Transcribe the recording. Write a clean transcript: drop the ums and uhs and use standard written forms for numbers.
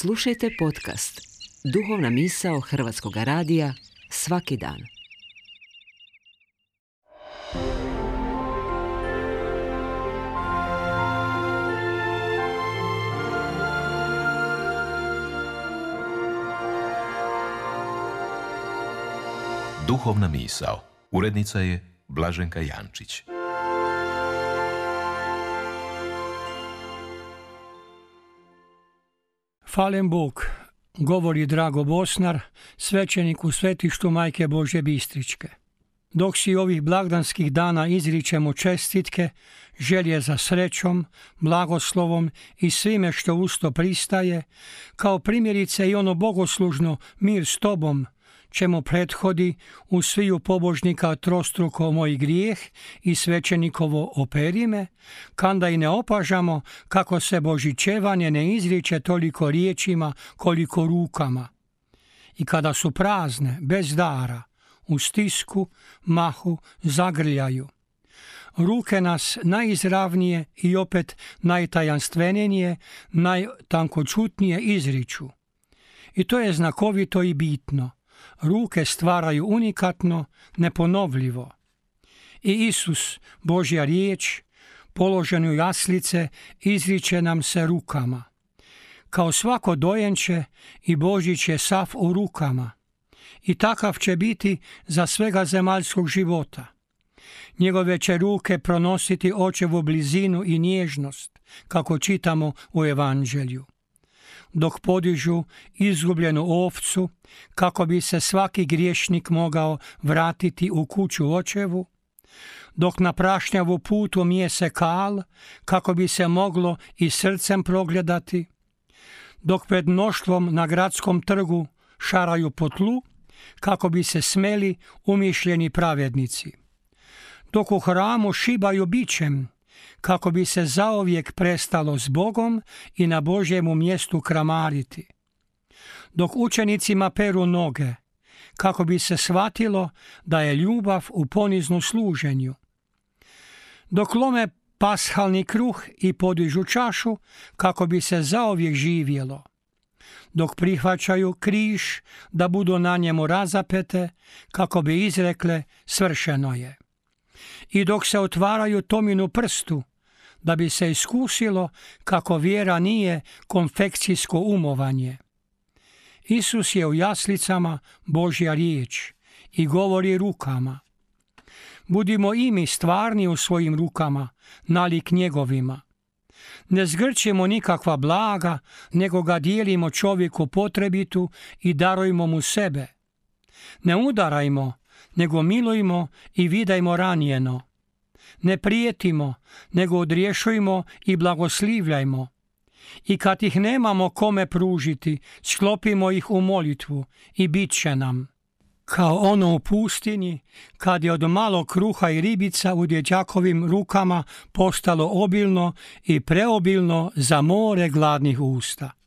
Slušajte podcast Duhovna misao Hrvatskog radija svaki dan. Duhovna misao. Urednica je Blaženka Jančić. Hvaljen Bog, govori Drago Bosnar, svećenik u svetištu Majke Božje Bistričke. Dok si ovih blagdanskih dana izričemo čestitke, želje za srećom, blagoslovom i svime što uz to pristaje, kao primjerice i ono bogoslužno mir s tobom, čemu prethodi u sviju pobožnika trostruko moj grijeh i svećenikovo operime, kanda i ne opažamo kako se božićevanje ne izriče toliko riječima koliko rukama. I kada su prazne, bez dara, u stisku, mahu, zagrljaju. Ruke nas najizravnije i opet najtajanstvenije, najtankočutnije izriču. I to je znakovito i bitno. Ruke stvaraju unikatno, neponovljivo. I Isus, Božja riječ, položen u jaslice, izriče nam se rukama. Kao svako dojenče i Božić je sav u rukama. I takav će biti za svega zemaljskog života. Njegove će ruke pronositi očevu blizinu i nježnost, kako čitamo u Evanđelju. Dok podižu izgubljenu ovcu, kako bi se svaki griješnik mogao vratiti u kuću očevu, dok na prašnjavu putu mijese kal, kako bi se moglo i srcem progledati, dok pred mnoštvom na gradskom trgu šaraju po tlu, kako bi se smeli umišljeni pravednici, dok u hramu šibaju bičem, kako bi se zauvijek prestalo s Bogom i na Božjemu mjestu kramariti. Dok učenicima peru noge, kako bi se shvatilo da je ljubav u poniznu služenju. Dok lome pashalni kruh i podižu čašu, kako bi se zauvijek živjelo. Dok prihvaćaju križ da budu na njemu razapete, kako bi izrekle svršeno je. I dok se otvaraju Tominu prstu, da bi se iskusilo kako vjera nije konfekcijsko umovanje. Isus je u jaslicama Božja riječ i govori rukama. Budimo i mi stvarni u svojim rukama, nalik njegovima. Ne zgrćemo nikakva blaga, nego ga dijelimo čovjeku potrebitu i darujmo mu sebe. Ne udarajmo, nego milujmo i vidajmo ranjeno. Ne prijetimo, nego odriješujmo i blagoslivljajmo. I kad ih nemamo kome pružiti, sklopimo ih u molitvu i bit će nam. Kao ono u pustinji, kad je od malo kruha i ribica u dječakovim rukama postalo obilno i preobilno za more gladnih usta.